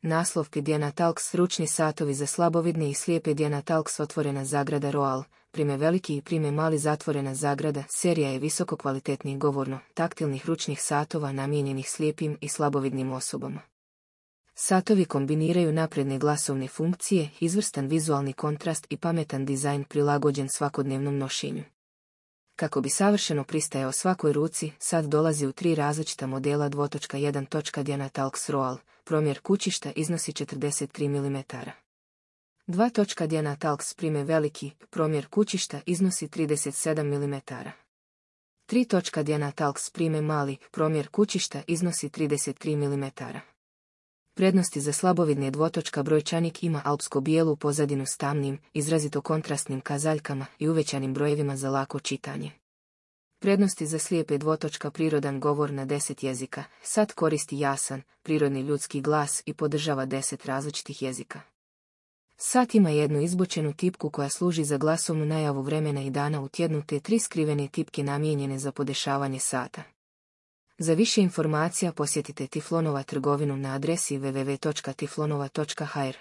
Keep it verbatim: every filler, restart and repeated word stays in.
Naslov Pedianatalks ručni satovi za slabovidne i slijepe. Pedianatalks otvorena zagrada Roal, prime veliki i prime mali zatvorena zagrada. Serija je visoko kvalitetnih govorno, taktilnih ručnih satova namijenjenih slijepim i slabovidnim osobama. Satovi kombiniraju napredne glasovne funkcije, izvrstan vizualni kontrast i pametan dizajn prilagođen svakodnevnom nošenju. Kako bi savršeno pristajao svakoj ruci, sat dolazi u tri različita modela. dva jedan. Dianatalks Roal, promjer kućišta iznosi četrdeset tri milimetra. dva. Dianatalks prime veliki, promjer kućišta iznosi trideset sedam milimetara. tri. Dianatalks prime mali, promjer kućišta iznosi trideset tri milimetra. Prednosti za slabovidne. Dvotočka brojčanik ima alpsko-bijelu pozadinu s tamnim, izrazito kontrastnim kazaljkama i uvećanim brojevima za lako čitanje. Prednosti za slijepe. Dvotočka prirodan govor na deset jezika. Sat koristi jasan, prirodni ljudski glas i podržava deset različitih jezika. Sat ima jednu izbočenu tipku koja služi za glasovnu najavu vremena i dana u tjednu te tri skrivene tipke namijenjene za podešavanje sata. Za više informacija posjetite Tiflonova trgovinu na adresi w w w točka tiflonova točka h r.